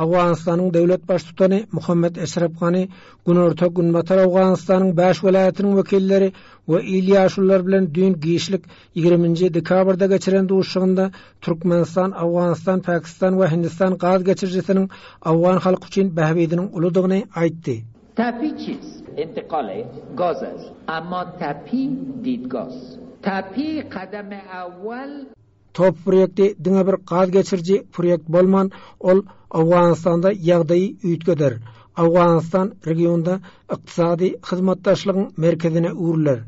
Owganystanyň döwlet baştutany Muhammet Eşref Gani Günorta-Günbatar Owganystanyň bäş welaýatynyň wekilleri we il ýaşululary bilen düýn giçlik 20 nji dekabrda geçiren duşuşygynda Türkmenistan, Owganystan, Pakistan we Hindistan gaz geçirijisiniň owgan halky üçin bähbidiniň uludygyny aýtdy. Tapi çiz? Intikal gaz est. Emma tapi didgaz. Tapi kadam awwal. Top proýekti diňe bir gaz geçiriji proýekt bolman, ol Owganystanda ýagdaýy üýtgeder. Owganystan regionda ykdysady hyzmatdaşlygyň merkezine öwrüler.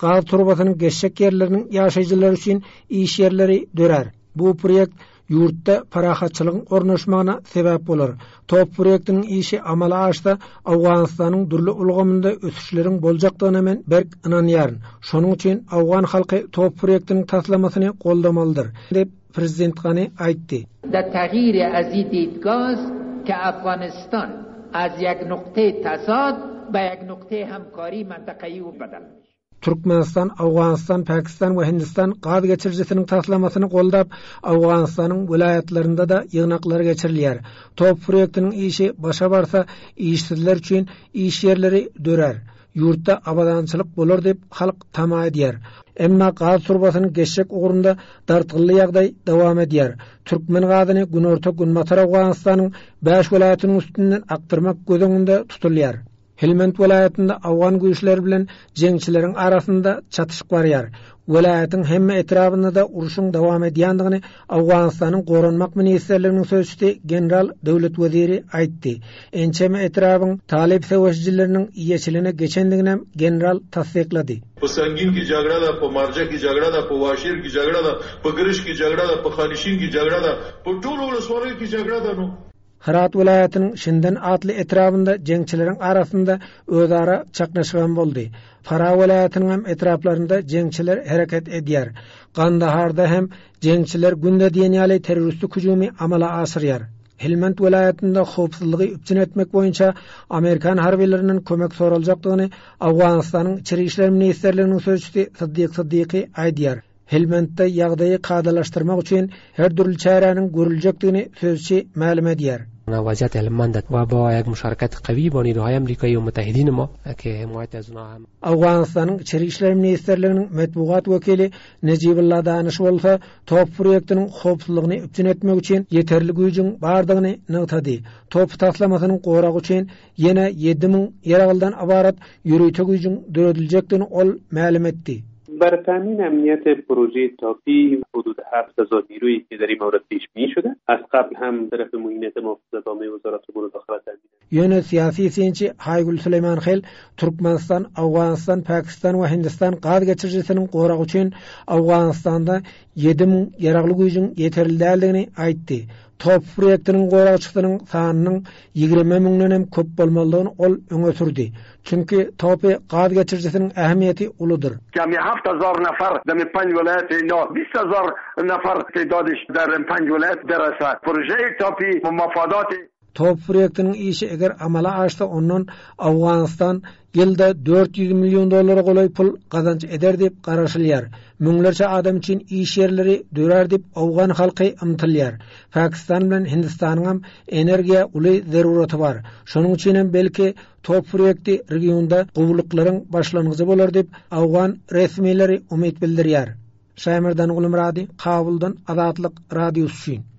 Gaz turbasynyň geçjek ýerleriniň ýaşaýjylary üçin iş ýerleri dörär. Bu proýekt ýurtda parahatçylygyň ornaşmagyna sebäp bolar. Top proýektiniň işi amala aşsa, Owganystanyň dürli ulgamynda ösüşleriň boljakdygyna men berk ynanýaryn. Şonuň üçin owgan halky top proýektiniň taslamasyny goldamalydyr, diýip, prezident Gani aýtdy. Der tagir azi didgaz ke Afganistan az ýek nukte tazad be ýek nukte hemkari mentakayi u bedel mişe. Türkmenistan, Owganystan, Pakistan we Hindistan gaz geçirijisiniň taslamasyny goldap, Owganystanyň welaýatlarynda-da ýygnaklar geçirilýär. Top proýektiniň işi başa barsa, işsizler üçin iş ýerleri dörär. Ýurtda abadançylyk bolar diýip, halk tama edýär. Emma gaz turbasynyň geçjek ugrunda dartgynly ýagdaý dowam edýär. Türkmen gazyny günorta-günbatar Owganystanyň bäş welaýatynyň üstünden akdyrmak göz öňünde tutulýar. Helmand welaýatynda owgan güýçleri bilen jeňçileriň arasynda çatyşyk barýar. Welaýatyň hemme etrabynda-da urşuň dowam edýändigini Owganystanyň Goranmak ministrliginiň sözçüsi general Döwlet Weziri aýtdy. Ençeme etrabyň talyp söweşijileriniň eýeçiligine geçendiginem general tassyklady. په سنګین کې جګړه ده، په مارجه کې جګړه ده، په واشیر کې جګړه ده، په ګرشک کې جګړه ده، په خانشین کې جګړه ده، په ټولو ولسوالیو کې جګړه ده نو. Hyrat welaýatynyň Şinden atly etrabynda jeňçileriň arasynda özara çaknyşygam boldy. Farah welaýatynyň hem etraplarynda jeňçiler hereket edýär. Gandaharda hem jeňçiler günde diýen ýaly terroristik hüjümi amala aşyrýar. Helmand welaýatynda howpsuzlygy üpjün etmek boýunça amerikan harbylerinden kömek soraljakdygyny Owganystanyň Içeri işler ministrliginiň sözçüsi Syddyk Syddyky aýdýar. Helmandda ýagdaýy kadalaşdyrmak üçin her dürli çäräniň görüljekdigini sözçi mälim edýär. وضعیت هلمند و با یک مشارکت قوی با نیروهای امریکایی و متحدین ما که حمایت از اونها هم Owganystanyň Içeri işler ministrliginiň metbugat wekili Nejibullah Danyş bolsa top proýektiniň howpsuzlygyny üpjün etmek üçin ýeterli güýjüň bardygyny nygtady. Top taslamasynyň goragy üçin ýene 7000 ýaraglydan ybarat ýörite güýjüň dörediljekdigini ol mälim etdi. بر تامین امنیت پروژه تاپی حدود 7000 نیرویی که در این مورد پیش بینی شده از قبل هم طرف معینیت محافظت عامه وزارت امور داخله تامین Ýöne syýasy synçy Haýgül Süleýmanhel Türkmenistan, Owganystan, Pakistan we Hindistan gaz geçirijisiniň goragy üçin Owganystanda 7000 ýaragly güýjüň ýeterli däldigini aýtdy. Top proýektiniň goragçysynyň sanynyň 20 müňden hem köp bolmalydygyny ol öňe sürdi. Çünki TOPI gaz geçirijisiniň ähmiýeti uludyr. Kemi 7000 نفر در پنج ولایت اینا 20000 نفر تعدادش در پنج ولایت برسه پروژه تاپی مفادات Top proýektiniň işi eger amala aşsa ondan Owganystan ýylda 400 million dollara golaý pul gazanç eder diýip garaşylýar. Müňlerçe adam üçin iş ýerleri dörär diýip owgan halky ymtylýar. Pakistan bilen Hindistanyňam energiýa uly zeruraty bar. Şonuň üçinem belki top proýekti regionda gowulyklaryň başlangyjy bolar diýip owgan resmileri umyt bildirýär. Şaýmerdan Gulmyrady, Kabuldan Azatlyk Radiosy üçin.